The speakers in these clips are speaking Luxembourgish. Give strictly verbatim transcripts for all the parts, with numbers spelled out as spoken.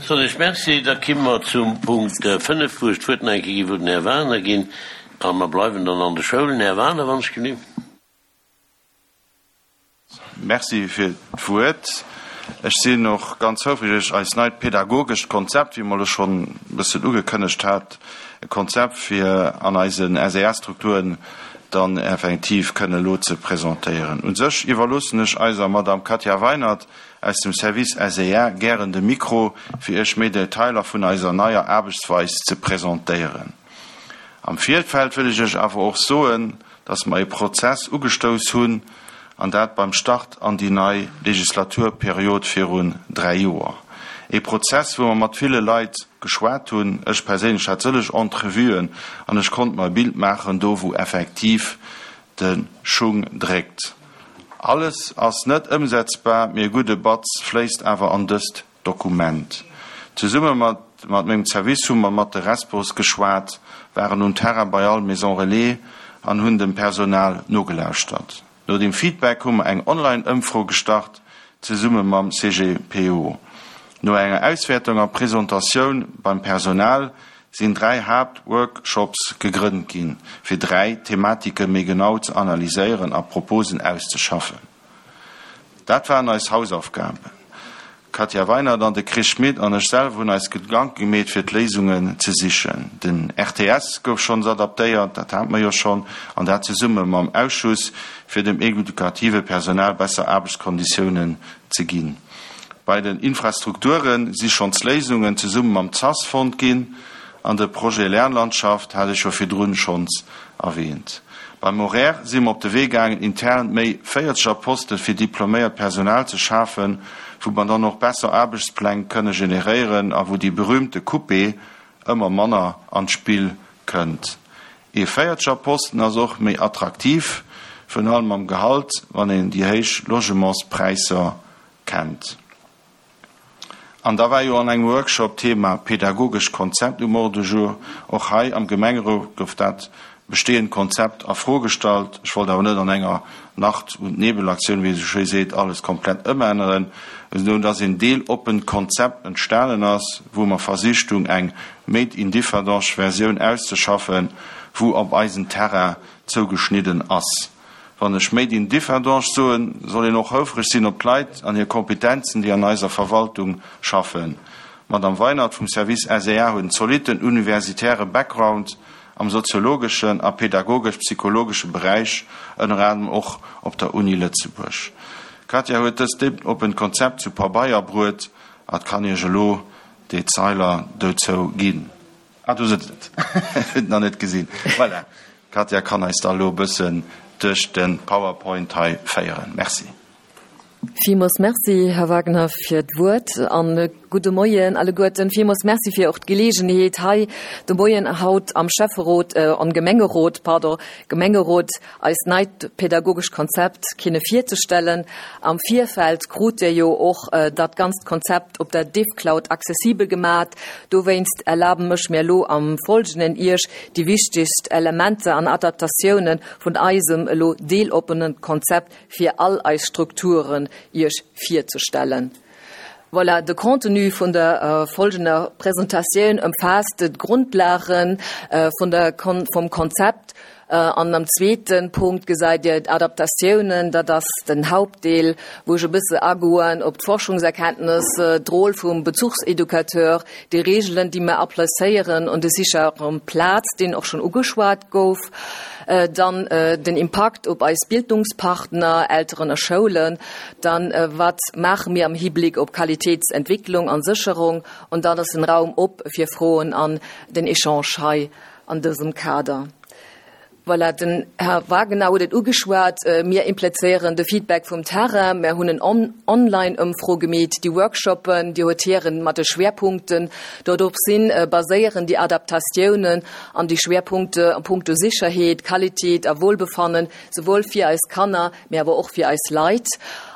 Soen ech Merci. Da kimme mer zum Punkt fënnef, wou ech d'Wuert nach eng Kéier gi wëll den Här Wagener ginn. A mer bleiwen dann an de Schoulen. Här Wagener, wann ech genüg. Merci fir d'Wuert. Ech sinn och ganz houfreg, eist neit pädagogescht Konzept, wéi mer elo schonn e bëssen ugekënnegt hat, e Konzept fir an eisen S E S-Strukturen dann effektiv kënne elo ze presentéieren. U sech iwwerloossen ech eiser Madame Katja Weinert aus dem Service S E A gären de Mikro, fir Iech méi Detailer vun eiser neier Aarbechtsweis ze presentéieren. Am Virfeld wëll ech Iech awer och soen, dass mer e Prozess ugestouss hunn, an dat beim Start an déi nei Legislaturperiod virun dräi Joer. E Prozess, wou mer mat ville Leit geschwat hunn. Ech perséinlech hat sëlleg Entrevuen an ech konnt mer e Bild maachen, do wou effektiv de Schung dréckt. Alles ass net ëmsetzbar, mee e gudde Batz fléisst awer an dëst Dokument. Zesumme mat mat mengem Service hu mer mat de Respos geschwat, waren um Terrain bei all Maison Relais an hunn dem Personal nogelauschtert. No dem Feedback hu mer eng Online-Ëmfro gestart, zesumme mam C G P O. No enger Auswäertung a Presentatioun beim Personal sinn dräi Haaptworkshops gegrënnt ginn, fir dräi Thematike méi genau ze analyséieren a Proposen auszeschaffen. Dat waren eis Hausaufgaben. D'Katja Weinert an de Chris Schmit an ech selwer hunn eis Gedanke gemeet, fir d'Léisungen ze sichen. Den R T S gouf schonns adaptéiert, dat hate mer jo schonn, an dat zesumme mam Ausschuss, fir dem edukative Personal besser Aarbechtskonditiounen ze ginn. Bei den Infrastrukture si schonns Léisungen zesumme mam C A S fonnt ginn an de Projet Lernlandschaft hat ech jo virdrun schonns erwähnt. Beim Horaire si mer op de Wee gaangen, intern méi véierzeger Poste fir diploméiert Personal ze schafen, wou mer dann och besser Aarbechtspläng kënne generéieren a wou déi berühmte Coupe ëmmer manner an d'Spill kënnt. E véierzeger Posten ass och méi attraktiv, virun allem am Gehalt, wann een déi héich Logementspräisser kennt. An da war jo an engem Workshop d'Thema pädagogescht Konzept um Ordre du jour. Och hei am Gemengerot gouf dat bestehend Konzept a Fro gestallt. Ech wollt awer net an enger Nacht- und Nebelaktioun, wéi ee sou schéi seet, alles komplett ëmänneren, esou dass een deeloppent Konzept entstanen ass, wou mer versicht hunn, eng Made in Differdange Versioun auszeschaffen, wou op eisen Terrain zougeschnidden ass. Wann ech Made in Differdange soen, soll een och houfreg sinn op d'Leit an hir Kompetenzen, déi an eiser Verwaltung schaffen. D'Madame Weinert vum Service S E A huet en zolitten universitäre Background am soziologeschen a pädagogesch-psychologesche Beräich, ënner anerem och op der Uni Lëtzebuerg. D'Katja huet dëst deeloppent Konzept zu Pabeier bruet a kann Iech elo Detailer dozou ginn. Ah, do sëtzt et. Huet nach net gesinn. Voilà. D'Katja kann eis da elo e bëssen duerch de PowerPoint hei féieren. Merci. Villmools Merci, Här Wagner, fir d'Wuert an gudde Moien alleguerten. Villmools Merci fir och d'Geleegenheet hei de Moien haut am Schäfferot an Gemengerot, pardon, Gemengerot eist neit pädagogescht Konzept kinne virzestellen. Am Virfeld krut Dir jo och dat ganzt Konzept op der DivCloud accessibel gemaat. Dowéinst erlaben ech mir elo am Folgenden Iech déi wichtegst Elementer an Adaptatiounen vun eisem elo deeloppenen Konzept fir all eis Strukturen Iech virzestellen. Voilà, de Contenu vun der äh, folgender Presentatioun ëmfaasst d'Grondlagen äh, vun der Kon vum Konzept. Äh, an am zweeten Punkt gesäit Dir d'Adaptatiounen, dat ass den Hauptdeel, wou ech e bësse agoen op d'Forschungserkenntnis, d'Roll vum Bezugseducateur, déi Reegelen, déi mer applizéieren an de sicheren Plaz, deen och schonn ugeschwat gouf, äh, dann äh, den Impakt op eis Bildungspartner, Elteren a Schoulen, dann äh, wat maache mir am Hibléck op Qualitéitsentwécklung an Sécherung an dann ass den Raum op fir Froen an den Echange hei an dësem Kader. Voilà, den Här Wagner huet et ugeschwat, äh, mir implizéieren de Feedback vum Terrain, mir hunn en on Online-Ëmfro gemeet, déi Workshoppen, déi Hotieren mat de Schwerpunkten, dorop sinn äh, baséieren déi Adaptatiounen an déi Schwerpunkte a punkto Sécherheet, Qualitéit a Wohlbefannen, souwuel fir eis Kanner, mee awer och fir eis Leit.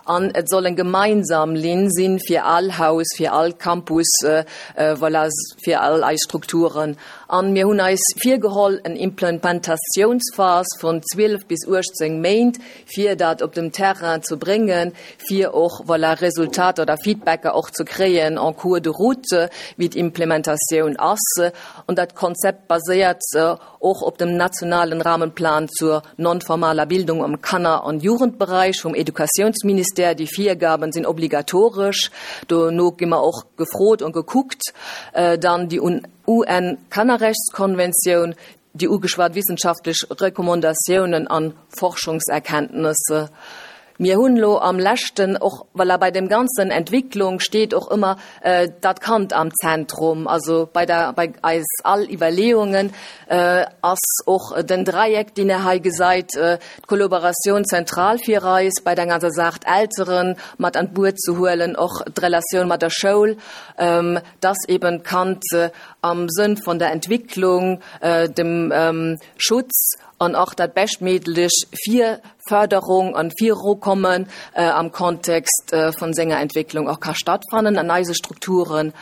An et soll eng gemeinsam Linn sinn fir all Haus, fir all Campus, äh, äh, voilà, fir all eis Strukturen. An mir hunn eis virgeholl eng Implementatiounsphas vun zwielef bis uechtzéng Méint, fir dat op dem Terrain ze bréngen, fir och voilà, Resultater oder Feedbacker och ze kréien en cours de route, wéi d'Implementatioun ass. An dat Konzept baséiert äh, och op dem nationalen Rahmenplan zur nonformaler Bildung am Kanner- an Jugendbereich vum Educatiounsministère. Déi Virgaben sinn obligatoresch. Dono gi mer och gefrot an gekuckt. Äh, dann déi U N-Kannerrechtskonventioun, déi ugeschwat wissenschaftlech Recommandatiounen an Forschungserkenntnisser. Mir hunn lo am leschten och, well bei dem ganzen Entwicklung steet och ëmmer äh, dat Kand am Zentrum, also bei der bei eis all Iwwerleeungen äh, ass och den Dräieck, deen der hei gesäit, äh, d'Kollaboratioun zentral fir eis bei der ganzer Saach, d'Elteren mat an d'Buet ze huelen, och d'Relatioun mat der Schoul, ähm, dass eben d'Kand äh, am Sënn vun der Entwicklung, äh, dem ähm, Schutz an och dat beschtméiglech fir Förderung an Virukommen äh, am Kontext äh, vun senger Entwicklung och ka stattfannen an eise Strukturen.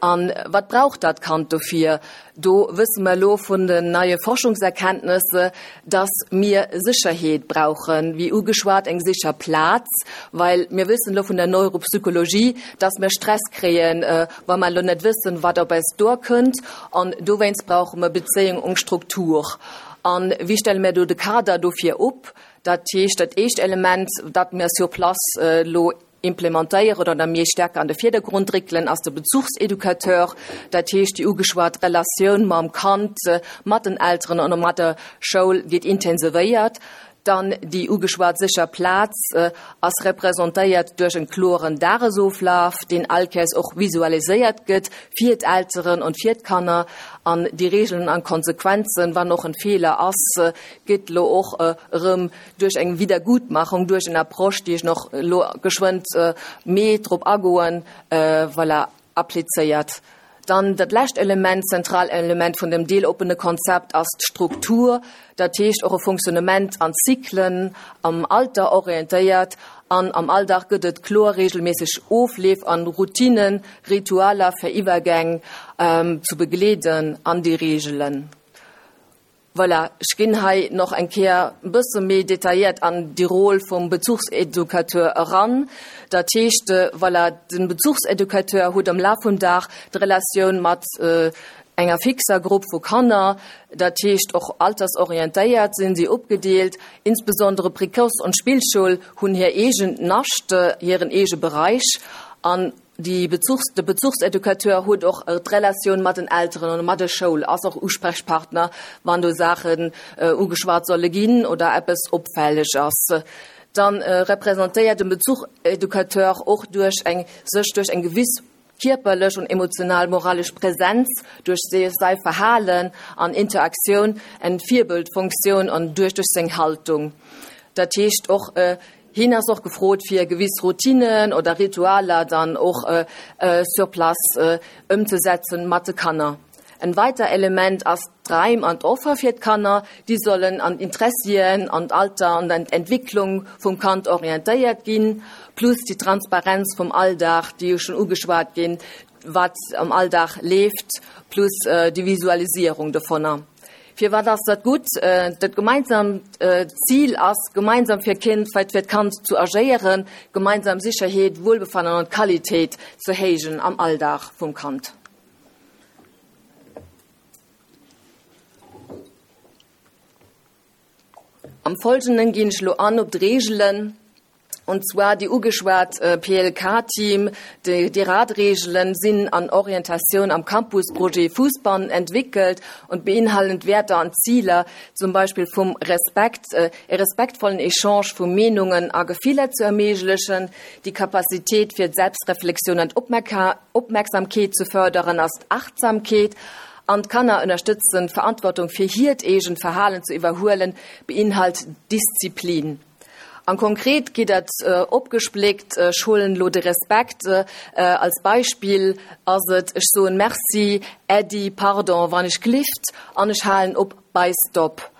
An wat brauch dat Kand dofir? Do wësse mer lo vun den neie Forschungserkenntnisser, dass mir Sécherheet brauchen, wéi ugeschwat eng sécher Plaz, well mir wëssen lo vun der Neuropsychologie, dass mir Stress kréien, äh, wa mer lo net wëssen, wat op eis duerkënnt, an dowéinst brauche mer Bezéiung an Struktur. An wéi stelle mir do de Kader dofir op? Dat heescht, dat éischt Element, dat mir sur place äh, lo implementéieren oder méi staark an de Virdergrond réckelen, ass de Bezuchseducateur. Dat heescht, déi ugeschwat Relatioun mam Kand, äh, mat den Elteren an mat der Schoul gëtt intensivéiert. Dann déi ugeschwat sécher Plaz äh, ass representéiert duerch e kloren Dagesoflaf, deen allkéiers och visualiséiert gëtt fir d'Elteren an fir d'Kanner, an déi Regeln an Konsequenzen, wann och e Feeler ass, äh, gëtt lo och äh, rëm duerch eng Wiedergutmachung, duerch eng Approche, déi ech nach lo geschwënn äh, méi drop agoen, äh, voilà, applizéiert. Dann dat lescht Element, zentral Element vun dem deeloppene Konzept ass d'Struktur, dat heescht och e Fonctionnement an Zyklen am Alter orientéiert, an am Alldag gëtt et kloer regelméisseg Ofleef an Routinen, Ritualer fir Iwwergäng ähm, ze begleeden an déi Regelen. Voilà, ech ginn hei nach eng Kéier e bësse méi detailléiert an déi Roll vum Bezuchseducateur eran. Dat heescht, äh, voilà, de Bezuchseducateur huet am Laf vum Dag d'Relatioun mat äh, enger fixer Grupp vu Kanner, dat heescht och altersorientéiert sinn si opgedeelt, insbesondere Précoce an Spillschoul hunn hir eegen Nascht, hiren eege Beräich, an déi Bezuchs, de Bezuchseducateur huet och äh, d'Relatioun mat den Elteren an mat der Schoul, ass och Usprechpartner, wann do Saachen äh, ugeschwat solle ginn oder eppes opfälleg ass. Dann äh, representéiert de Bezuchseducateur och duerch eng sech duerch eng gewiss kierperlech an emotional moralesch Präsenz, duerch säi Verhalen an Interaktioun eng Virbildfunktioun an duerch duerch seng Haltung. Dat heescht och äh, hien ass och gefrot fir gewiss Routinen oder Ritualer dann och äh, äh, sur place äh, ëmzesetzen mat de Kanner. En weider Element ass d'Raim an d'Offer fir d'Kanner, déi sollen an Interessien, an Alter an an Entwicklung vum Kand orientéiert ginn, plus déi Transparenz vum Alldag, déi jo schonn ugeschwat ginn, wat am Alldag leeft, plus äh, déi Visualisierung dovunner. Fir wat ass dat gutt? Äh, dat gemeinsam äh, Zil ass, gemeinsam fir Kind, fir d'Kand ze agéieren, gemeinsam Sécherheet, Wuelbefannen an Qualitéit ze héijen am Alldag vum Kand. Am Folgenden ginn ech lo an op d'Regelen, und zwar déi ugeschwat äh, P L K-Team, déi, déi Radregelen sinn an Orientatioun am Campusprojet Fussbann entwickelt und beinhalten Wäerter an Ziler, zum Beispill vum Respekt, äh, e respektvollen Echange vu Meenungen a Gefiller ze erméiglechen, déi Kapazitéit fir Selbstreflexioun an Opmierksamkeet ze fërderen, ass Achtsamkeet, an d'Kanner ënnerstëtzen, Verantwortung fir hiert eegent Verhalen ze iwwerhuelen, beinhalt Disziplin. An konkret geet dat äh, opgespléckt, äh, ech huelen lo de Respekt äh, als Beispill, ass et, ech soen Merci, Äddi, Pardon, wann ech gelift, an ech halen op bei Stop.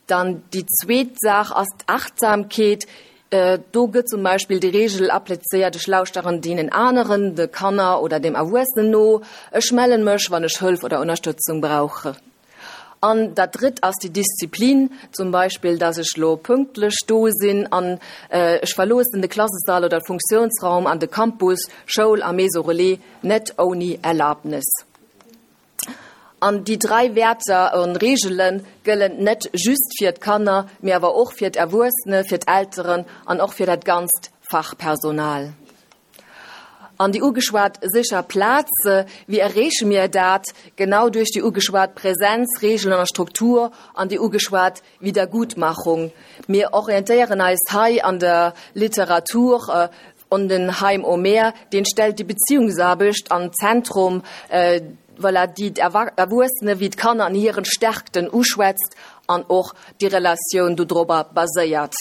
Dann déi zweet Saach ass d'Achtsamkeet. Do gëtt zum Beispill déi Reegel applizéiert, Ech lauschteren deenen aneren, de Kanner oder dem Erwuessenen no, ech mellen mech, wann ech Hëllef oder Ënnerstëtzung brauch. An dat Drëtt ass déi Disziplin, zum Beispill, dass ech lo pünktlech do sinn an ech verloossen de Klassesall oder Funktiounsraum an de Campus, Schoul a Maison Relais, net ouni Erlaabnes. An déi dräi Wäerter an Reegele gëllen net just fir d'Kanner, mee awer och fir d'Erwuessene, fir d'Elteren an och fir dat ganzt Fachpersonal. An déi ugeschwat sécher Plaz, wéi erreeche mir dat? Genau duerch déi ugeschwat Präsenz, Reegelen a Struktur an déi ugeschwat Wiedergutmachung. Mir orientéieren eis hei an der Literatur un den Haim Omer, deen stellt déi Beziehungsaarbecht an d'Zentrum, voilà, déi d'Erwuessene wéi d'Kanner an hiren Stärkten uschwätzt an och déi Relatioun dodrobber baséiert.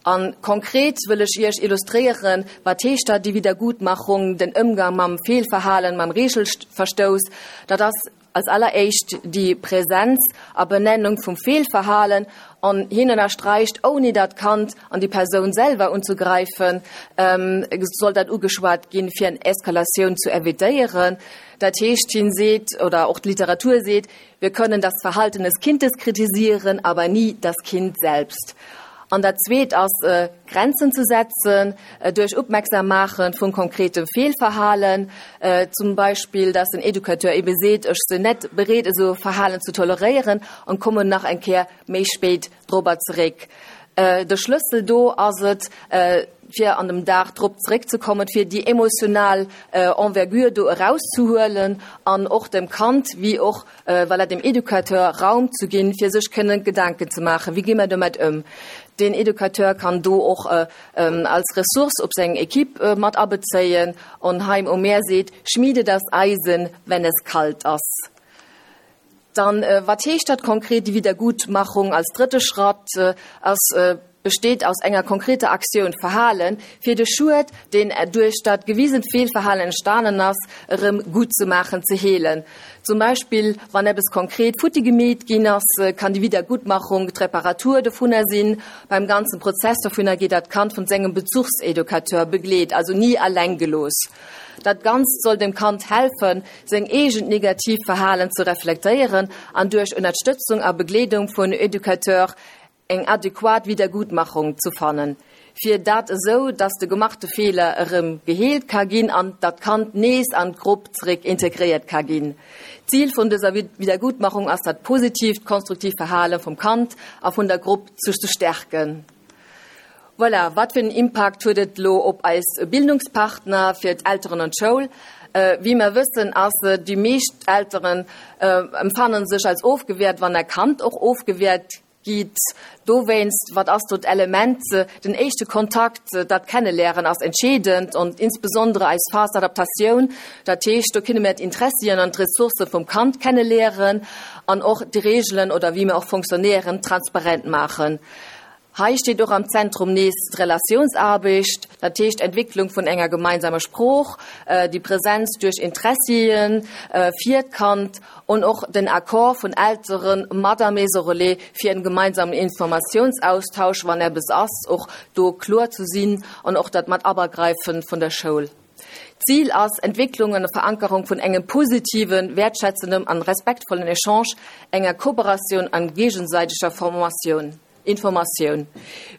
A konkret wëll ech Iech illustréieren, wat heescht dat, déi Wiedergutmachung, den Ëmgang mam Feelverhalen, mam Reegelverstouss. Dat ass als alleréischt déi Präsenz a Benennung vum Feelverhalen an hien ënnersträicht, ouni dat Kand an déi Persoun selwer unzegräifen, soll dat ugeschwat ginn, fir eng Eskalatioun zu evitéieren. Dat heescht, hien seet, oder och d'Literatur seet, wir können das Verhalten des Kindes kritisieren, aber nie das Kind selbst. An dat Zweet ass, Grenzen ze setzen duerch opmerksam maache vun konkretem Feelverhalen, zum Beispill dass den Educateur ebe seet, ech sinn net bereet esou e Verhalen ze toleréieren an kommen nach eng Kéier méi spéit dorobber zeréck. De Schlëssel do ass et, fir an dem Dag drop zeréckzekommen, fir déi emotional Envergure do erauszehuelen an och dem Kand wéi och voilà dem Educateur Raum ze ginn, fir sech kënnen Gedanken ze maachen, wéi gi mer domat ëm. Den Educateur kann do och als Ressource op seng Equipe mat abezéien an Haim Omer seet, Schmiede das Eisen, wenn es kalt ass. Dann, wat heescht dat konkret, déi Wiedergutmachung als drëtte Schratt ass, besteet aus enger konkreter Aktioun, Verhalen, fir de Schued, deen duerch dat gewisent Feelverhalen entstanen ass, erëm guttzemaachen, ze heelen. Zum Beispill, wann eppes konkret futti gemeet ginn ass, kann déi Wiedergutmachung d'Reparatur dovunner sinn. Beim ganzen Prozess dovunner gétt dat Kand vun sengem Bezuchseducateur begleet, also ni alleng gelooss. Dat Ganzt soll dem Kand helfen, seng eegent negativ Verhalen ze reflektéieren an duerch Ënnerstëtzung a Begleedung vun Educateur eng adequat Wiedergutmachung ze fannen, fir dat esou, dass de gemachte Feeler erëm geheelt ka ginn an dat Kand nees an d'Grupp zeréck integréiert ka ginn. D'Zil vun dëser Wiedergutmachung ass dat positiivt, konstruktiivt Verhale vum Kand a vun der Grupp ze stärken. Voilà, wat fir en Impakt huet et elo op eis Bildungspartner, fir d'Elteren an d'Schoul? Wéi mer wëssen, ass déi meescht Elteren empfannen sech als ofgewäert, wann e Kand och ofgewäert gitt. Dowéinst, wat ass do d'Element? Den éischte Kontakt, dat Kenneléieren ass entscheedend an insbesondere eis Phase d'adaptation. Dat heescht, do kënne mir d'Interessien an d'Ressourcë vum Kand kenneléieren an och déi Reegelen oder wéi mir och fonctionnéieren transparent maachen. Hei steet och am Zentrum nees d'Relatiounsaarbecht, dat heescht d'Entwécklung vun enger gemeinsamer Sprooch, déi Präsenz duerch Interessien fir d'Kand und och den Accord vun Elteren mat der Maison Relais fir en gemeinsamen Informatiounsaustausch, wann eppes ass, och do kloer ze sinn an och dat mat Abagräifen vun der Schoul. Zil ass Entwécklung an Verankerung vun engem positiven, wäertschätzendem an respektvollen Echange, enger Kooperatioun an géigesäiteger Formatioun, Informatioun.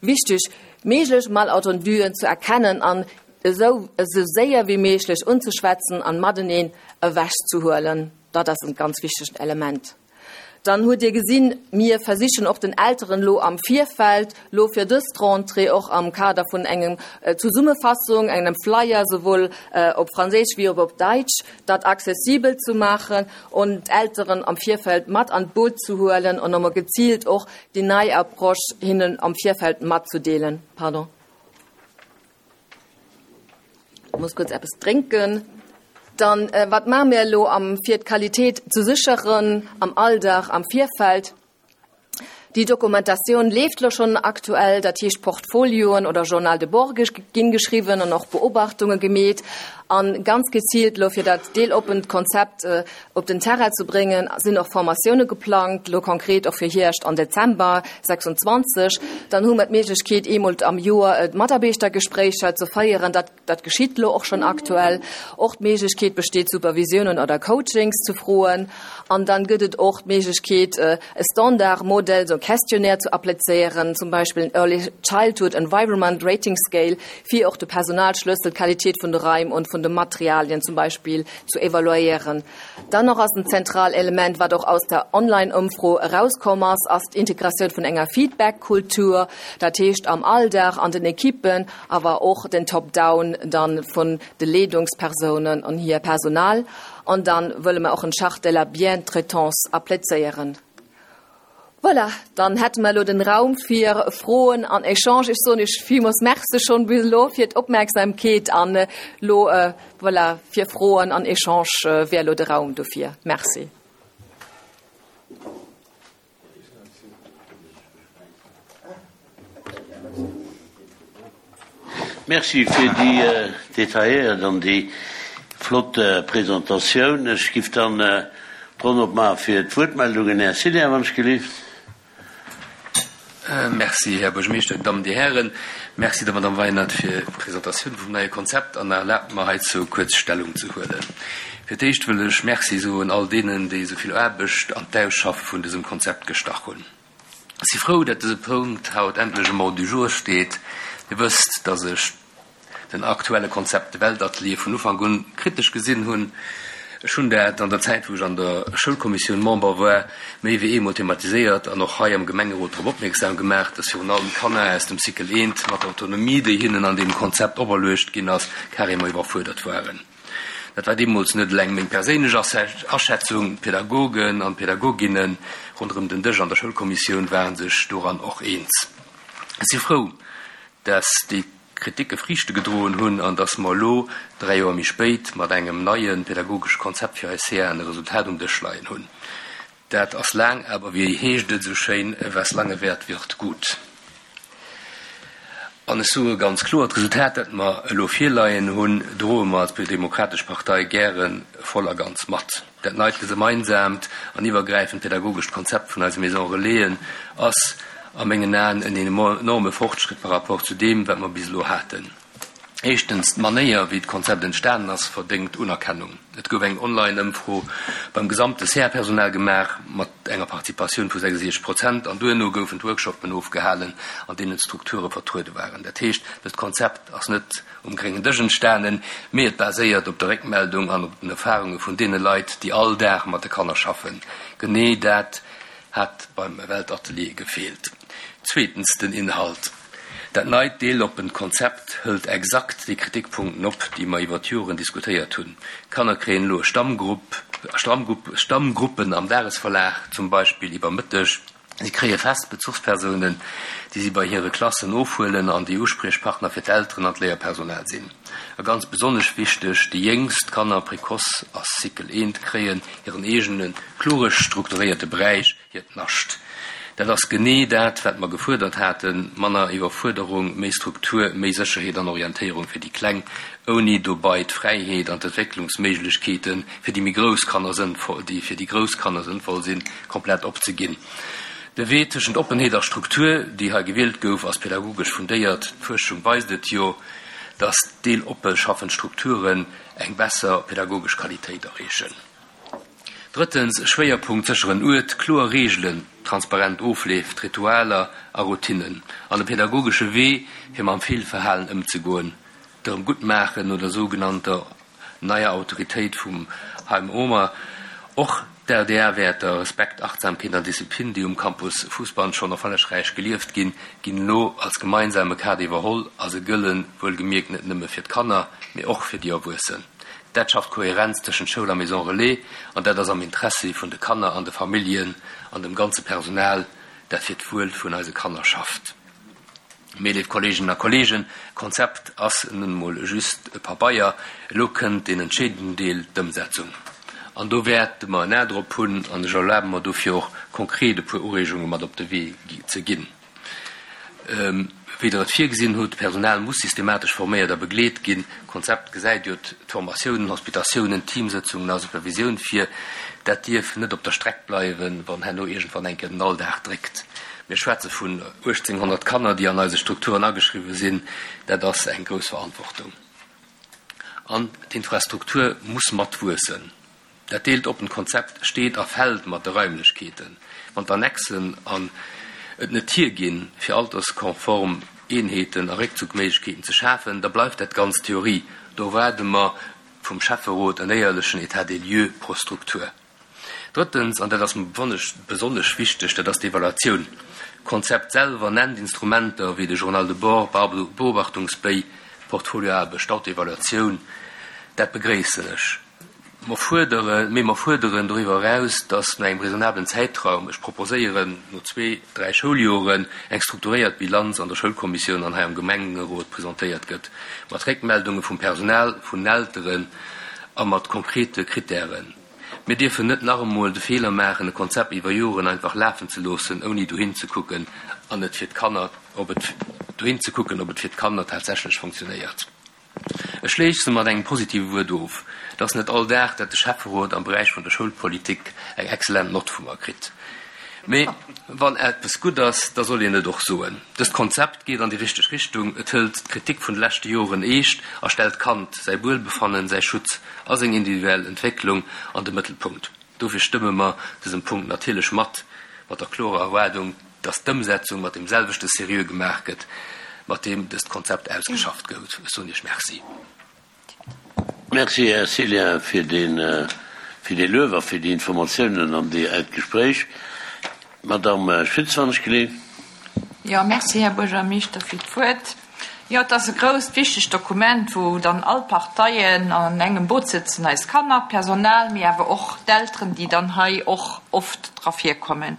Wichteg, méiglech Malentenduen ze erkennen an esou esou séier wéi méiglech unzeschwätzen an mateneen ewechzehuelen. Dat ass en ganz wichtegt Element. Dann hutt Dir gesinn, mir versichen och den Elteren elo am Virfeld, elo fir dëst Rentrée och am Kader vun engem Zesummefassung, engem Flyer, souwuel op Franséisch wéi och op Däitsch, dat accessibel ze maachen und d'Elteren am Virfeld mat an d'Boot ze huelen an nochmol geziilt och déi nei Approche hinnen am Virfeld matzedeelen. Pardon. Ech muss kuerz eppes drénken. Dann, wat maache mir elo am fir d'Qualitéit ze sécheren am Alldag, am Virfeld? Déi Dokumentatioun leeft elo schonn aktuell, dat heescht Portfolioen oder Journal de bord ginn geschriwwen an och Beobachtunge gemeet. An ganz gezielt lo fir dat deeloppent Konzept äh, op den Terrain ze bréngen, sinn och Formatioune geplangt, lo konkret och fir Hierscht an Dezember sechsundzwanzeg. Dann hu mer d'Méiglechkeet, eemol am Joer äh, Mataarbechtergespréicher ze féieren, dat, dat geschitt lo och schonn aktuell. Och d'Méiglechkeet besteet, Supervisiounen oder Coachings ze froen. An dann gëtt et och d'Méiglechkeet, äh, e Standardmodell, sou Questionnaire ze applizéieren, zum Beispill en Early Childhood Environment Rating Scale, fir och de Personalschlëssel, d'Qualitéit vun de Raim an vun de Materialien zum Beispill ze evaluéieren. Dann nach als en zentraalt Element, wat och aus der Online-Ëmfro erauskomm ass, ass d'Integratioun vun enger Feedback-Kultur, dat heescht am Alldag an den Ekippen, awer och den Top-Down dann vun de Leedungspersounen an hir Personal. An dann wëlle mer och eng Charte de la Bientraitance applizéieren. Voilà, dann hätte mer lo den Raum fir Froen an Echange. Ech soen iech villmools Merci schonn bis elo fir d'Opmierksamkeet an äh, lo äh, voilà, fir Froen an Echange äh, wär lo de Raum dofir. Merci. Merci fir déi äh, detailléiert an déi flott äh, Presentatioun. Ech géif dann äh, d'Ronn opmaache fir d'Wuertmeldungen. Här Silja, wann ech gelift. Äh, merci, Här Buergermeeschter, Dammen, Dir Hären. Merci der Madame Weinert fir d'Presentatioun vum neie Konzept an erlaabt mer heizou kuerz Stellung ze huelen. Fir d'éischt wëll ech Merci soen all deenen, déi esou vill Aarbecht an d'Ausschaffe vun dësem Konzept gestach hunn. Ech si frou, datt dëse Punkt haut endlech um Ordre du jour steet. Dir wësst, datt ech den aktuelle Konzept Weltatelier vun Ufank un kritesch gesinn hunn. Ech hunn dat an der Zäit, wou ech an der Schoulkommissioun Member war, méi wéi eemol thematiséiert an och hei am Gemengerot drop opmierksam gemaach, dass virun allem d'Kanner aus dem Cycle eent mat der Autonomie, déi hinnen an deem Konzept operluecht ginn ass, carrément iwwerfuerdert waren. Dat war deemools net eleng meng perséinlech Aschätzung, d'Pädagogen an d'Pädagoginne ronderëm den Dësch an der Schoulkommissioun ware sech doran och eens. Ech si frou, dass déi Kriticke Friichte gedroen hunn an dass mer elo, dräi Joer méi spéit, mat engem neie pädagogesche Konzept fir eis C A en e Resultat um Dësch leien hunn. Dat ass laang, awer wéi heescht et esou schéin, was lange währt, wird gut. An ech soe ganz kloer, d'Resultat, dat mer elo virleien hunn, droe mer als Demokratesch Partei gäre voll a ganz mat. Dat neit gemeinsaamt an iwwergräifend pädagogescht Konzept vun eise Maison Relaisen ass a mengen Aen en enorme Fortschritt par rapport zu deem, wat mer bis elo haten. Éischtens, d'Manéier, wéi d'Konzept entstanen ass, verdéngt Unerkennung. Et gouf eng Online-Ëmfro beim gesamte C A-Personal gemaach, mat enger Participatioun vu sechsundsiechzeg Prozent, an duerno goufen d'Workshoppen ofgehalen, an deenen d'Strukture vertruede waren. Dat heescht, dëst Konzept ass net um gréngen Dësch entstanen, mee et baséiert op der Réckmeldung an op den Erfarunge vun deene Leit, déi all Dag mat de Kanner schaffen. Genee dat hat beim Weltatelier gefeelt. Zweetens, den Inhalt. Dat neit deeloppent Konzept hëlt exakt déi Kritikpunkten op, déi mer iwwer d'Joren diskutéiert hunn. D'Kanner kréien elo Stammgrupp, Stammgrupp, Stammgruppen am Dagesverlaf, zum Beispill iwwer Mëtteg. Si kréie fest Bezuchspersounen, déi si bei hire Klassen ofhuelen an déi Uspriechpartner fir d'Elteren an d'Léierpersonal sinn. A ganz besonnesch wichteg, déi jéngst Kanner, Précoce a Cycle eent, kréien hiren eegene klore strukturéierte Beräich, hiert Nascht. Dat ass genee dat, wat mer gefuerdert haten, manner Iwwerfuerderung, méi Struktur, méi Sécherheet an Orientéierung fir déi Kleng, ouni dobei d'Fräiheet an d'Entwécklungsméiglechkeete fir déi méi grouss Kanner sënnvoll, déi fir déi grouss Kanner sënnvoll sinn, komplett opzeginn. De Wee tëschent Oppenheet a Struktur, déi hei gewielt gouf, ass pädagogesch fundéiert. D'Fuerschung weist et jo, dass deeloppe schaffend Strukturen eng besser pädagogesch Qualitéit erreechen. Drëttens, Schwéierpunkt, sécheren Uert, kloer Reegelen, transparent Ofleef, Ritualer a Routinnen an e pädagogesche Wee, fir mam Feelverhalen ëmzegoen, d'Erëmguttmaachen no der sougenannter neier Autoritéit vum Haim Omer. Och d'R D A-Wäerter, Respekt, Achtsamkeet an Disziplin, déi um Campus Fousbann schonn erfollegräich gelieft ginn, ginn elo als gemeinsame Kader iwwerholl a se gëllen, wuelgemierkt, net nëmme fir d'Kanner, mee och fir déi Erwuessen. Dat schafft Kohärenz tëschent Schoul a Maison Relais an dat ass am Interessi vun de Kanner an de Familljen an dem ganze Personal, dat fir d'Wuel vun eise Kanner schafft. Mee, léif Kolleeginnen a Kolleegen, Konzept ass nun emol just e Pabeier. Elo kënnt deen entscheedenden Deel, d'Ëmsetzung. An do wäerte mer en A drop hunn an ech erlabe mer dofir och konkret e puer Ureegunge mat op de Wee ze ginn. wéi Der et virgesinn hutt. D'Personal muss systematesch forméiert a begleet ginn. D'Konzept gesäit jo d'Formatiounen, Hospitatiounen, Teamsëtzungen a Supervisioun vir. Dat dierf net op der Streck bleiwen, wann herno iergendwann eng Kéier den Alldag dréckt. Mir schwätze vun uechtzénghonnert Kanner, déi an eise Strukturen ageschriwwe sinn. Dat ass eng grouss Verantwortung. An d'Infrastruktur muss matwuessen. Dat deelt oppent Konzept steet a fält mat de Raimlechkeeten. Wann d'Annexen an et net hierginn, fir alterskonform Eenheeten a Réckzuckméiglechkeeten ze schafen, da bleift dat Ganzt Theorie. Do erwaarde mer vum Schäfferot en éierlechen État des lieux pro Struktur. Drëttens, an dat ass mer besonnesch wichteg, dat ass d'Evaluatioun. D'Konzept selwer nennt Instrumenter wéi de Journal de bord, Beobachtungsbéi, Portfolioaarbecht, d'Autoevaluatioun. Dat begréissen ech. Mer fuerderen, mee mer fuerderen doriwwer eraus, dass no engem raisonnablen Zäitraum, ech proposéieren no zwee, dräi Schouljoren, eng strukturéiert Bilanz an der Schoulkommissioun an hei am Gemengerot presentéiert gëtt, mat Réckmeldunge vum Personal, vun den Elteren a mat konkrete Krittären. Mir dierfen net nach emol de Feeler maachen, e Konzept iwwer Joren einfach lafen ze loossen, ouni dohin ze kucken an et fir d'Kanner, ob et dohin ze kucken, ob et fir d'Kanner tatsächlech funktionéiert. Ech schléisse mat engem positive Wuert of. Et ass net all Dag, dat de Schäfferot am Beräich vun der Schoulpolitik eng excellent Nott vu mer kritt. Mee wann eppes gutt ass, da soll een et och soen. Dëst Konzept geet an déi richteg Richtung. Et hëlt d'Kritik vun de leschte Joren eescht a stellt d'Kand, säi Wuelbefannen, säi Schutz a seng individuell Entwécklung an de Mëttelpunkt. Dofir stëmme mer dësem Punkt natierlech mat, mat der klorer Erwaardung, dass d'Ëmsetzung mat deem selwechte Seriö gemaach gëtt, mat deem dëst Konzept ausgeschafft gouf. Ech soen Iech Merci. Merci, Här Cillien, fir dee Luef a fir déi Informatiounen an dat Gespréich. Madamm Schütz, wann ech geleet. Jo, merci, Här Buergermeeschter, fir d'Wuert. Jo, et ass e grousst, wichtegt Dokument, wou dann all d'Parteien an engem Boot sëtzen, eis Kanner, d'Personal, mee awer och d'Elteren, déi dann hei och oft dra virkommen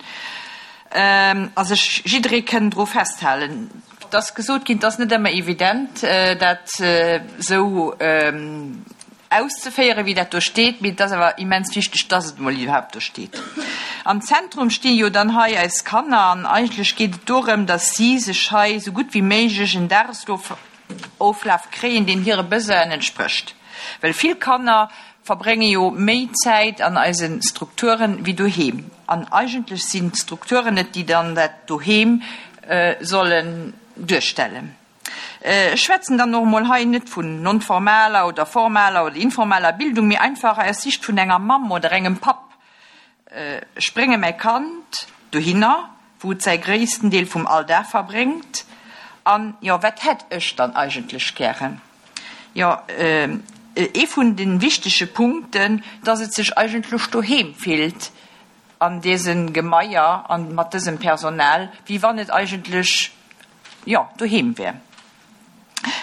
a sech jidderee kënnen dru festhalen. Et ass gesot ginn, et ass net ëmmer evident, dat esou auszeféieren, wéi dat do steet, mee et ass awer immens wichteg, dass et emol iwwerhaupt do steet. Am Zentrum sti jo dann hei eis Kanner an eigentlech geet et dorëm, dass si sech hei esou gutt wéi méiglech en Dagesoflaf kréien, deen hire Besoinen entsprécht. Well vill Kanner verbrénge jo méi Zäit an eise Strukturen wéi doheem. An eigentlech sinn d'Strukturen et, déi dann dat Doheem sollen duerstellen. Ech schwätzen dann och emol hei net vun non-formaler oder formaler oder informeller Bildung, mee einfach aus Sicht vun enger Mamm oder engem Papp. Ech brénge mäi Kand dohinner, wou et säi gréissten Deel vum Alldag verbréngt. An, jo, wat hätt ech dann eigentlech gären? Jo, ee vun de wichtege Punkten, dass et sech eigentlech doheem fillt an dësem Gemaier an mat dësem Personal, wéi wann et eigentlech, jo, doheem wär.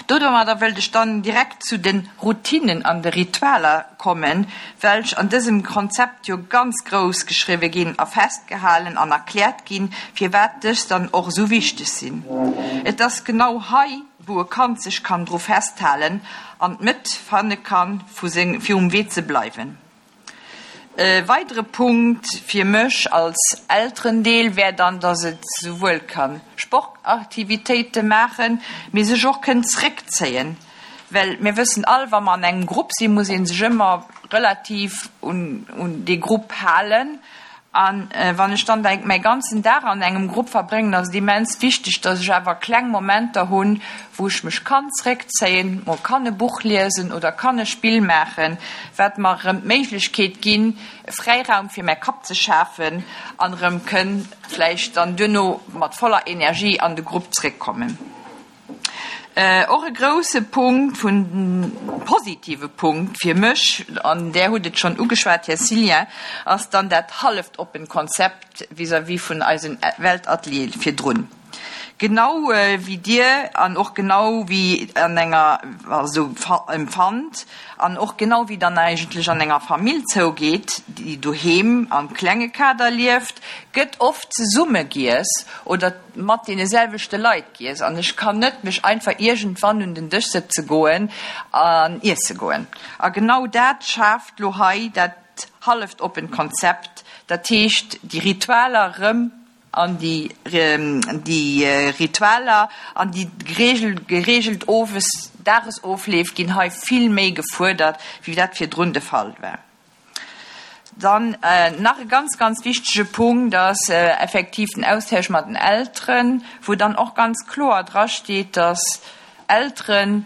Domadder wëllt ech dann direkt zu de Routinen an de Ritualer kommen, welch an dësem Konzept jo ganz grouss geschriwwe ginn a festgehalen an erkläert ginn, firwat dës dann och esou wichteg sinn. Et ass genau hei, wou e Kand sech kann dru festhalen an d'Mëtt fanne kann, fir um Wee ze bleiwen. E weidere Punkt fir mech als Elterendeel wär dann, dass et souwuel ka Sportaktivitéite maachen, mee sech och kënnt zréckzéien. Well mir wëssen all, wa mer an engem Grupp sinn, muss ee sech ëmmer relativ un dee Grupp halen. A wann ech dann mäi ganzen Dag an engem Grupp verbréngen, ass et immens wichteg, dass ech awer kleng Momenter hunn, wou ech mech kann zréckzéien, mol kann e Buch liesen oder kann e Spill maachen, wat mer erëm d'Méiglechkeet ginn, Fräiraum fir mäi Kapp ze schafen an erëm kënn vläicht dann duerno mat voller Energie an de Grupp zréckkommen. Och e grousse Punkt vun, positive Punkt fir mech, an Där hutt et schonn ugeschwat, Här Cillien, ass dann dat halleft oppent Konzept vis-à-vis vun eisen Weltateliere virdrun. Genau wéi Dir an och genau wéi an enger, also empfannt an och genau wéi dann eigentlech an enger Famill zougeet, déi doheem am klenge Kader lieft, gëtt oft zesumme giess oder mat deene selwechte Leit giess an ech kann net mech einfach iergendwann un den Dësch sëtze goen an iesse goen. A genau dat schaaft lo hei dat halleft oppent Konzept, dat heescht déi Ritualer erëm an déi déi Ritualer an déi geregelt geregelt Owes Dagesofleef ginn hei vill méi gefuerdert, wéi dat virdrun de Fall war. Dann nach e ganz, ganz wichtege Punkt ass effektiv den Austausch mat den Elteren, wou dann och ganz kloer drasteet, dass Elteren,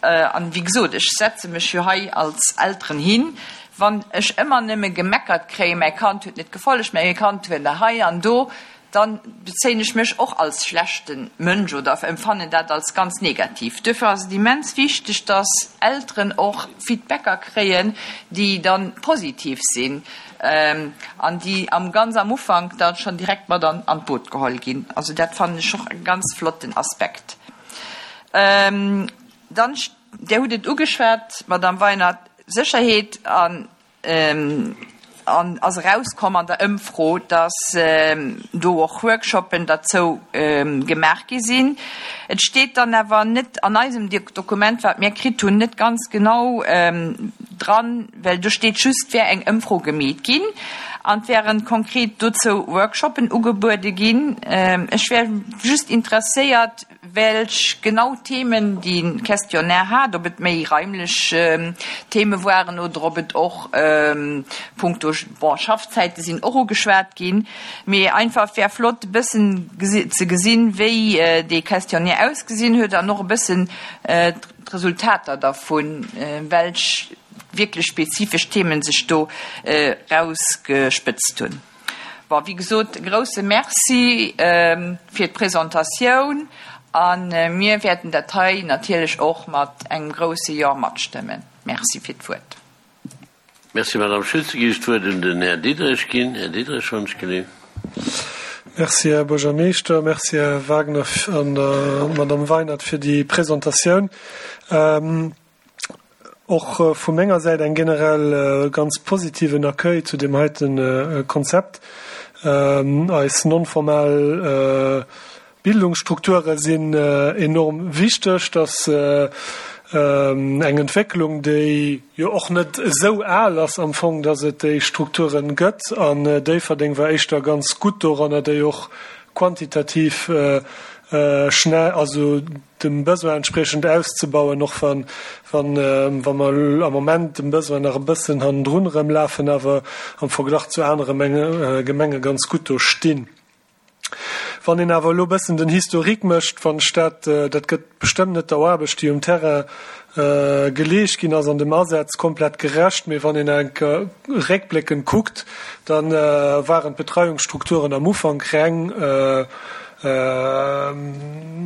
an wéi gesot, ech setze mech jo hei als Elteren hin, wann ech ëmmer nëmme gemeckert kréien, mäi Kand huet net gefollegt, mäi Kand huet hei an do, dann bezéien ech mech och als schlechte Mënsch oder empfannen dat als ganz negativ. Duerfir ass et immens wichteg, dass Elteren och Feedbacker kréien, déi dann positiv sinn an déi am ganz am Ufank dann schonn direkt mat an d'Boot geholl ginn. Also dat fannen ech och e ganz flotten Aspekt. Dann, Dir hutt et ugeschwat, Madamm Weinert, Sécherheet an an ass erauskomm an der Ëmfro, dass do och Workshoppen derzou gemaach gi sinn. Et steet dann awer net an eisem Dokument, wat mir kritt hunn, net ganz genau dran, well do steet just, et wär eng Ëmfro gemeet ginn an et wären konkret dozou Workshoppen ugebuede ginn. Ech wär just interesséiert, welch genau Themen de Questionnaire hat, ob et méi raimlech Theme waren oder ob et och punkto, bon, Schaffzäite sinn och ugeschwat ginn, mee einfach wär flott e bëssen ze gesinn, wéi dee Questionnaire ausgesinn huet an och e bëssen d'Resultater dervun, welch wierklech spezifesch Themen sech do rausgespëtzt hunn. Bon, wéi gesot, e grouse Merci fir d'Presentatioun a mir wäerten dat hei natierlech och mat engem grouse Jo matstëmmen. Merci fir d'Wuert. Merci, Madame Schütz. Gi ech d'Wuert un den Här Diderich ginn. Här Diderich, wann ech geleeft. Merci, Här Buergermeeschter. Merci, Här Wagner an der Madame Weinert fir déi Presentatioun. Och vu menger Säit eng generell ganz positiven Accueil zu deem heite Konzept. Eis non-formal Bildungsstrukture sinn enorm wichteg. Dat ass eng Entwécklung, déi jo och net esou al ass am Fong, dass et déi Strukture gëtt. An Déifferdeng war éischter ganz gutt doranner, déi och quantitativ schnell, also dem Besoin entspriechend auszebauen, och wann, wann, wa mer am Moment dem Besoin nach e bëssen hannendrun erëmlafen, awer am Verglach zu anere Gemenge ganz gutt do stinn. Wann een awer elo e bëssen den Historique mécht, wann ech dat, dat gëtt bestëmmt net der Aarbecht, déi um Terrain geleescht ginn ass an dem Asaz, komplett gerecht, mee wann een enk réckbléckend kuckt, da waren d'Betreiungsstrukturen am Ufank reng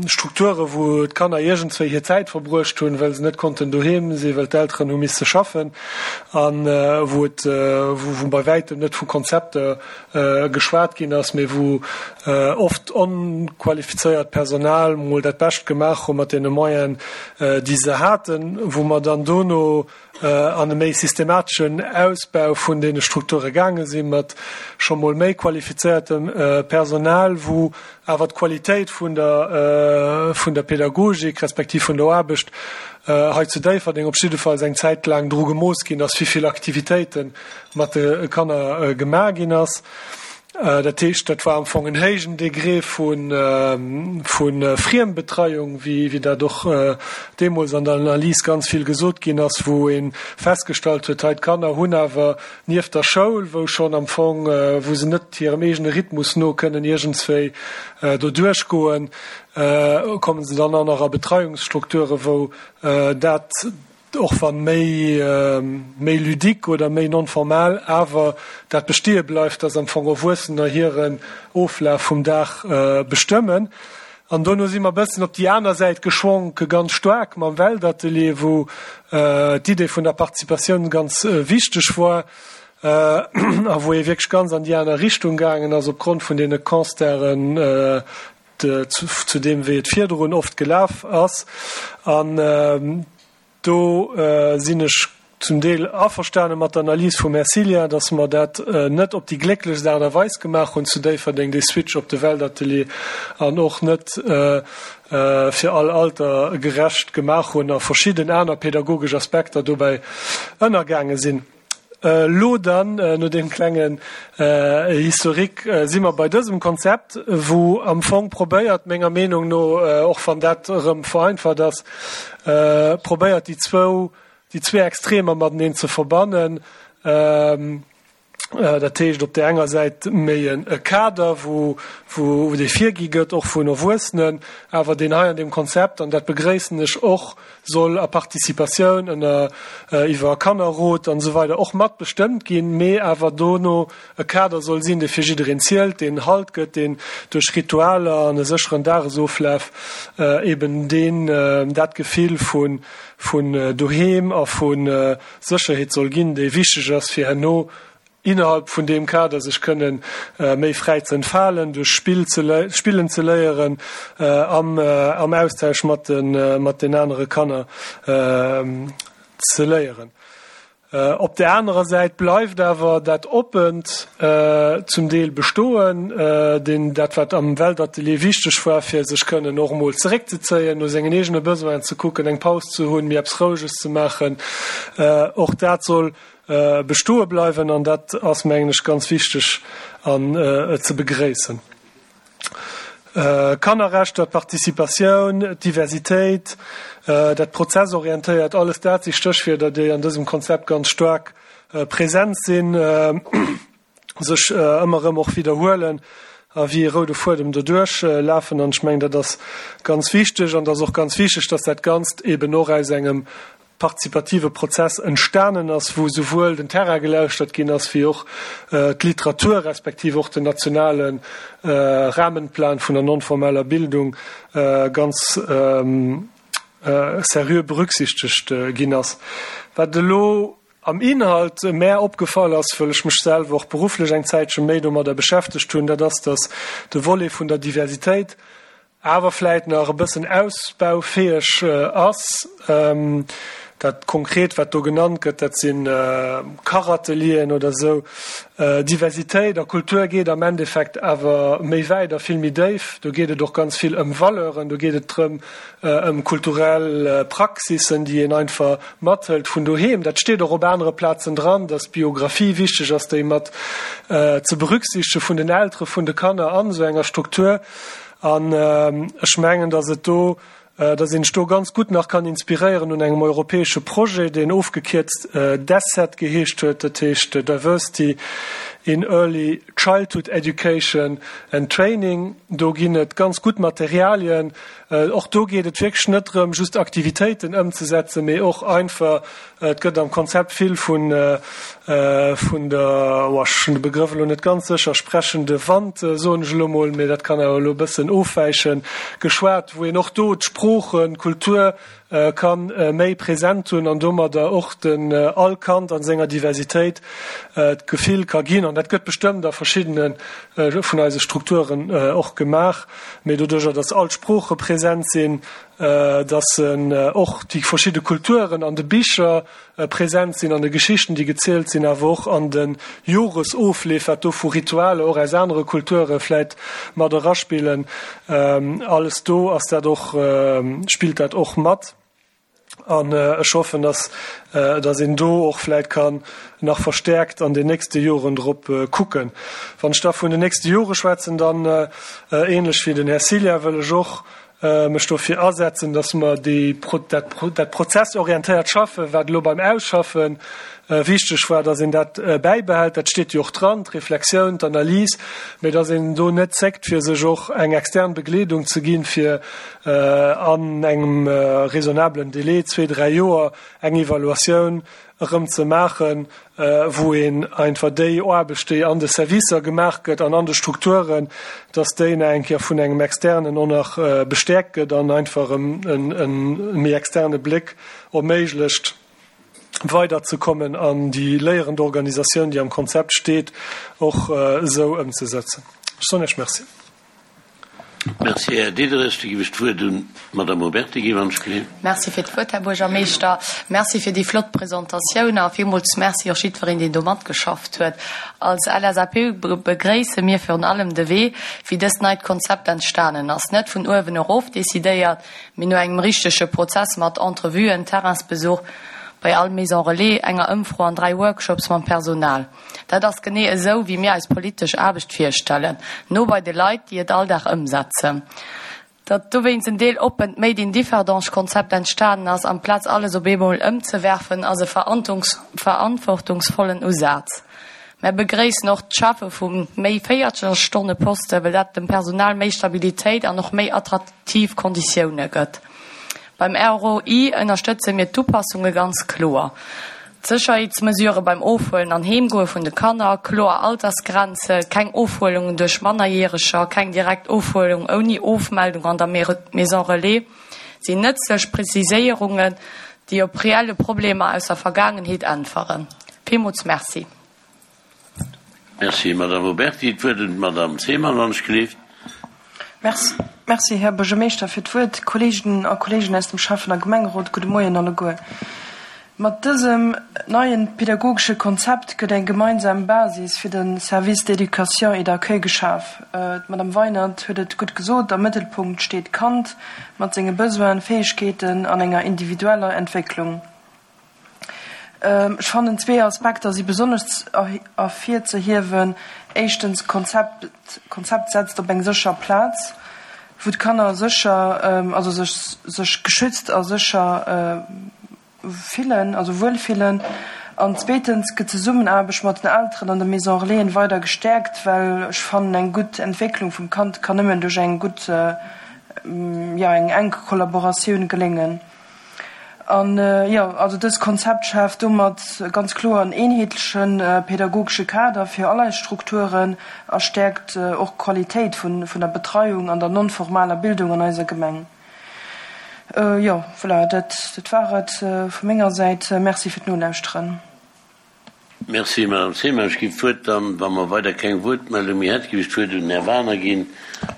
Strukture wou d'Kanner iergendswéi hir Zäit verbruecht hunn, well se net konnten doheem sinn, well d'Elteren hu misse schaffen, a wou et, wou bei wäitem net vu Konzepter geschwat ginn ass, mee wou oft onqualifizéiert Personal mol dat Bescht gemaach hu mat deene Moyenen, déi se haten, wou mer dann dono an e méi systemateschen Ausbau vun deene Strukture gaange sinn, mat scho mol méi qualifizéiertem Personal, wou awer d'Qualitéit vun der, vun der Pädagogik respektiv vun der Aarbecht hei zu Déifferdeng op jiddefalls eng Zäit laang dru gemooss ginn ass, wéi vill Aktivitéite mat de Kanner gemaach ginn ass. Dat heescht, dat war am Fong en héijen Degré vu Friembetreiung, wéi dat och deemools an der Analys ganz vill gesot ginn ass, wou ee festgestallt huet, hei d'Kanner hunn awer nieft der Schoul, wou schonn am Fong, wou se net hirem eegene Rhythmus no kënnen iergendswéi do duerchgoen, komme se dann och nach a Betreiungsstrukture wou dat, och wann méi méi ludique oder méi non-formal, awer dat besteeë bleift, dass am Fong Erwuessener hiren Oflaf vum Dag bestëmmen. An dono si mer e bëssen op déi aner Säit geschwonk, ganz staark mam Weltatelier, wou d'Idee vun der Participatioun ganz wichteg war a wou ee wierklech ganz an déi aner Richtung gaangen ass opgrond vun deene Constaten zu deem, wéi et virdrun oft gelaf ass. An do sinn ech zum Deel averstane mat der Analys vum Här Cillien, dass mer dat net op déi glécklechst Aart a Weis gemaach hunn zu Déifferdeng, dee Switch op de Weltatelier, an och net fir all Alter gerecht gemaach hunn a verschidden aner pädagogesch Aspekter dobäi ënnergaange sinn. Elo dann, no deem klengen Historique, si mer bei dësem Konzept, wou am Fong probéiert, menger Meenung no, och wann dat erëm vereinfacht ass, probéiert déi zwou, déi zwee Extremer mateneen ze verbannen. Dat heescht op där enger Säit méi e Kader, wou, wou dee virgi gëtt, och vun Erwuessenen, awer deen hei an deem Konzept, an dat begréissen ech och, soll a Participatioun ënner, iwwer Kannerrot an esou weider och mat bestëmmt ginn, mee awer dono e Kader soll sinn, dee fir jiddereen zielt, deen Halt gëtt, deen duerch Ritualer an e sécheren Dagesoflaf eben deen, dat Gefill vu, vun doheem a vu Sécherheet soll ginn, déi wichteg ass fir herno innerhalb vun deem Kader sech kënnen méi fräi ze entfalen, duerch Spill ze spillen ze léieren, am am Austausch mat de mat den anere Kanner ze léieren. Op där anerer Säit bleift awer dat Oppent zum Deel bestoen, deen dat wat am Weltatelier wichteg war, fir sech kënnen och emol zeréckzezéien, no sengen eegene Besoinen ze kucken, eng Paus ze hunn, méi eppes Roueges ze maachen, och dat soll bestoe bleiwen an dat ass, mengen ech, ganz wichteg an ze begréissen. Kannerrechter, d'Participatioun, d'Diversitéit, dat Prozessorientéiert, alles dat si Stéchwierder, déi an dësem Konzept ganz staark present sinn, sech ëmmer erëm och widderhuelen a wéi e roude Fuedem doduerch lafen. An ech mengen, dat ass ganz wichteg an et ass och ganz wichteg, dass dat Ganzt eeben och aus engem partizipative Prozess entstanen ass, wou souwuel den Terrain gelauschtert ginn ass, wéi och d'Literatur respektiv och den nationale Rahmenplan vun der non-formeller Bildung ganz seriö berücksichtegt ginn ass. Wat elo am Inhalt mär opgefall ass, wëll ech mech selwer och berufflech eng Zäitche méi domadder beschäftegt hunn, dat ass, dass de Volet vun der Diversitéit awer vläit nach e bëssen ausbaufäeg ass. Dat konkret, wat do genannt gëtt, dat si Kachatelieren oder esou. Diversitéit a Kultur geet am Endeffekt awer méi wäit a vill méi déif. Do geet et och ganz vill ëm Valeuren, do geet et drëm, ëm kulturell Praxissen, déi een einfach mathëlt vun doheem. Dat steet och op anere Plazen dran, dass d'Biographie wichteg ass, déi mat ze berücksichtege vun den Eltere vun de Kanner an esou enger Struktur. An ech mengen, dass et do, dass een sech do ganz gutt nach kann inspiréieren un engem europäesche Projet, deen ofgekierzt DECET geheescht huet, dat heescht Diversity in Early Childhood Education and Training. Do ginn et ganz gutt Materialien. Och do geet et wierklech net drëm, just Aktivitéiten ëmzesetzen, mee och einfach, et gëtt am Konzept vill vun, vun der, oh, ech hunn de Begrëff elo net ganz sécher, sprechende Wand, soen ech elo mol, mee dat kann awer elo e bëssen ofwäichen, geschwat, wou een och do d'Sproochen, d'Kultur ka méi present hunn an domadder och den all Kand an senger Diversitéit d'Gefill ka ginn, an dat gëtt bestëmmt a verschiddene vun eise Strukturen och gemaach, mee doduerjer, datt all d'Sprooche present sinn, datt och déi verschidde Kulturen an de Bicher present sinn, an de Geschichten, déi gezielt sinn, awer och an de Joresofleef, wat do vu Ritualer och aus anere Kulture vläit mat eraspillen, alles do ass dat och, spillt dat och mat. An ech hoffen, dass, dass een do och vläit kann nach verstärkt an den nächste Joren drop kucken. Wann ech da vun den nächste Jore schwätzen, dann, ähnlech wéi den Här Cilla, wëll ech och mech dofir asetzen, dass mer déi, dat, dat prozessorientéiert Schaffen, wat elo beim Ausschaffe wichteg war, dass een dat bäibehält. Dat steet jo och dran, d'Reflexioun, d'Analys, mä dass een do net zéckt, fir sech och eng extern Begleedung ze ginn, fir an engem raisonnablen Délai, zwee, dräi Joer, eng Evaluatioun erëm ze maachen, wou een einfach déi Aarbecht, déi an de Servicer gemaach gëtt an an de Strukturen, dass déi nach eng Kéier vun engem Externen och nach bestäerkt gëtt an einfach erëm e méi externe Bléck erméiglecht, weiderzekommen an déi léierend Organisatioun, déi am Konzept steet, och esou ëmzesetzen. Ech soen Iech Merci. Merci, Här Diderich. Da ginn ech d'Wuert un d'Madame Oberti Givanschke. Merci fir d'Wuert, Här Buergermeeschter. Merci fir déi flott Presentatioun a villmools Merci och jiddwereen, deen do matgeschafft huet. Als LSAP begréisse mir virun allem de Wee, wéi dëst neit Konzept entstanen ass. Net vun uewen erof decidéiert, mee no engem richtege Prozess mat Entrevuen, Terrainsbesuch, bei all Maison relais, enger Ëmfro an dräi Workshops mam Personal. Dat ass genee esou, wéi mir eis politesch Aarbecht virstellen, no bei de Leit, déi et all Dag ëmsetzen. Datt dowéinst en deeloppent Made in Differdange-Konzept entstanen ass, amplaz alles op eemol ëmzewerfen, ass e verantwortungsvollen Usaz. Mär begréissen och d'Schafe vu méi Véiertelstonneposten, well dat dem Personal méi Stabilitéit an och méi attraktiv Konditioune gëtt. Beim R O I ënnerstëtze mir d'Upassunge ganz kloer. D'Sécherheetsmesurë beim Ofhuelen an Heemgoe vun de Kanner, kloer Altersgrenze, keng Ofhuelungen duerch Mannerjäreger, keng direkt Ofhuelung ouni Ofmeldung an der Maison relais sinn nëtzlech Preziséierungen, déi op reelle Problemer aus der Vergaangenheet äntweren. Villmools Merci. Merci, Madame Oberti. D'Wuert huet d'Madame Zeman, wann ech gelift. Merci, merci, Här Buergermeeschter, fir d'Wuert. Kolleeginnen a Kolleegen aus dem Schäffen a Gemengerot, gudde Moien alleguer. Mat dësem neien pädagogesche Konzept gëtt eng gemeinsam Basis fir de Service d'éducation et d'accueil geschaf. D'Madame Weinert huet et gutt gesot, am Mëttelpunkt steet d'Kand mat senge Besoinen, Fäegkeeten an enger individueller Entwécklung. Ech fannen, zwee Aspekter si besonnesch ervirzehiewen. Éischtens, d'Konzept d'Konzept setzt op eng sécher Plaz, wou d'Kanner sécher, also sech sech geschützt a sécher fillen, also wuel fillen. An zweetens gëtt d'Zesummenaarbecht mat den Elteren an de Maison Relaisen weider gestäerkt, well ech fannen, eng gutt Entwécklung vum Kand kann nëmmen duerch eng gutt, jo, eng enk Kollaboratioun geléngen. An, jo, also dëst Konzept schaaft domat ganz kloer en eenheetleche pädagogesche Kader fir all eis Strukturen a stäerkt och d'Qualitéit vun der Betreiung an der non-formaler Bildung an eiser Gemeng. Jo, voilà, dat dat war et vu menger Säit. Merci fir d'Nolauschteren. Merci, Madame Zeman. Ech ginn d'Wuert dann, wa mer weider keng Wuertmeldung méi hätten, géif ech d'Wuert un den Här Wagener ginn.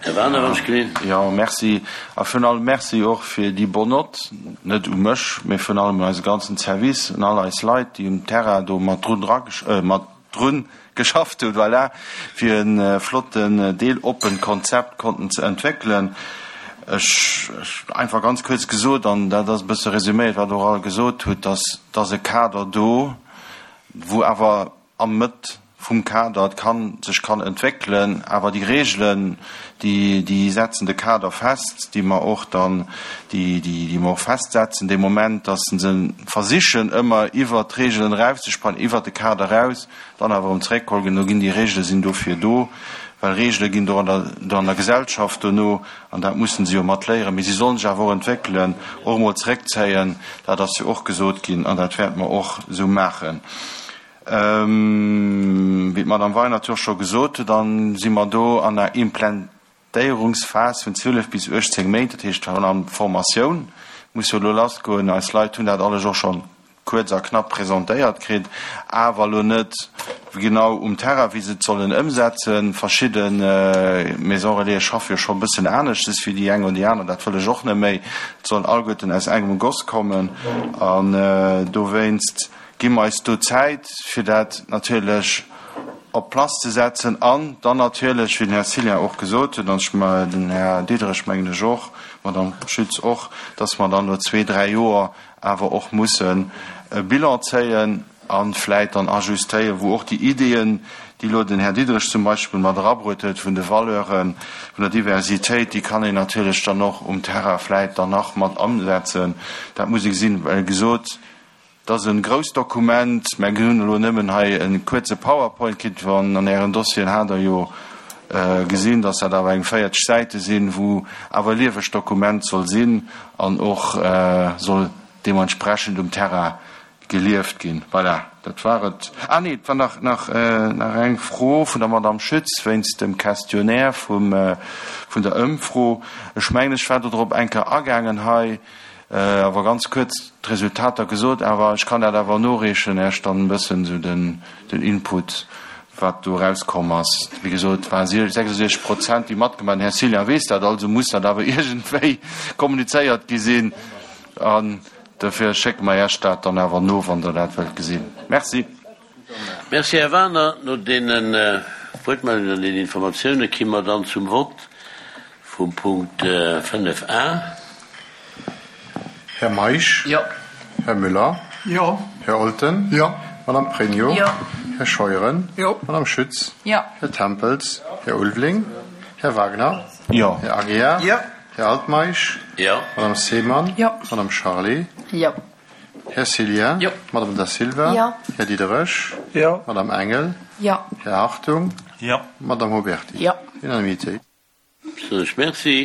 Här Wagener, wann ech gelift. Jo, merci. A virun allem Merci och fir déi bonne note, net u mech, mä virun allem un eise ganzen Service, un all eis Leit, déi um Terrain do mat drun dra, mat drun geschafft hunn, voilà, fir e flotten deeloppent Konzept konnten ze entwéckelen. Ech, einfach ganz kuerz gesot, an dat ass e bësse resüméiert, wat Der och all gesot hutt, dass, dass e Kader do, wou awer am Mëtt vum Kader d'Kand sech kann entwéckelen, awer déi Regelen, déi, déi setzen de Kader fest, déi mer och dann, déi, déi, déi mer och festsetzen dee Moment, dass se versichen ëmmer iwwert d'Regelen erauszesprangen, iwwert de Kader eraus, dann awer erëm zeréckgeholl ginn. Do ginn déi Regele sinn dofir do, well Regele ginn do an der, do an der Gesellschaft dono, an dat mussen se jo mat léieren, mee si sollen sech awer och entwéckelen, och emol zeréckzéien, dat ass jo och gesot ginn an dat wäerte mer och esou maachen. Wéi d'Madame Weinert jo och scho gesot huet, dann si mer do an der Implantéierungsphas vun zwielef bis uechtzéng Méint, dat heescht virun allem d'Formatioun muss jo elo lassgoen. Eis Leit hunn dat alles och scho kuerz a knapp presentéiert kritt, awer elo net genau um Terrain, wéi se et sollen ëmsetzen. Verschidde Maisons Relaisen schaffe jo scho e bëssen aneschtes wéi déi eng oder déi aner. Dat wëll ech och net méi. Et sollen alleguerten aus engem Goss kommen an dowéinst gi mer eis do Zäit, fir dat natierlech op d'Place ze setzen an dann natierlech, wéi den Här Cillien och gesot huet, an ech, den Här Diderich mengen ech och, d'Madame Schütz och, dass mer dann no zwee, dräi Joer awer och mussen e Bilan zéien a vläit dann ajustéieren, wou och déi Ideeën, déi elo den Här Diderich zum Beispill mat erabruet huet, vun de Valeuren, vun der Diversitéit, déi kann een natierlech dann och um Terrain vläit dann nach mat amsetzen. Dat muss ee gesinn, well gesot, Et ass e grousst Dokument. Mä hunn elo nëmmen hei e kuerze PowerPoint kritt. Wann an Ären Dossieren hat Der jo gesinn, dass dat awer eng véierzeg Säite sinn, wou awer e liewegt Dokument soll sinn an och soll deementsprechend um Terrain gelieft ginn. Voilà, dat war et. Ah nee, et war nach, nach, nach eng Fro vun der Madame Schütz wéinst dem Questionnaire vum, vun der Ëmfro. Ech mengen, ech war dodrop eng Kéier agaangen hei. Awer ganz kuerz d'Resultater gesot, awer ech kann dat awer noreechen, Iech dann e bëssen esou den Input, wat do erauskomm ass. Wéi gesot, et ware sechsundsechzeg Prozent, déi matgemaach hunn. Den Här Cillien weess dat, also muss dat awer iergendwéi kommunizéiert gi sinn. An dofir schécke mer Iech dat dann awer no, wann Der dat wëllt gesinn. Merci. Merci, Här Wagener. No deene Wuertmeldungen an deenen Informatioune ki mer dann zum Vott. Vum Punkt fënnef a. Här Meisch? Jo. Här Müller? Jo. Här Olten. Jo. Madame Pregno. Jo. Här Scheuren. Jo. Madame Schütz. Jo. Här Tempels. Här Ulveling. Här Wagner. Jo. Här Aguiar. Jo. Här Altmeisch. Jo. Madame Seemann. Jo. Madame Charlé. Jo. Här Cillien. Jo. Madame Da Silva. Jo. Här Diderich. Jo. Madame Engel. Jo. Här Hartung. Jo. Madame Huberty. Jo. Unanimité. Soen ech Merci.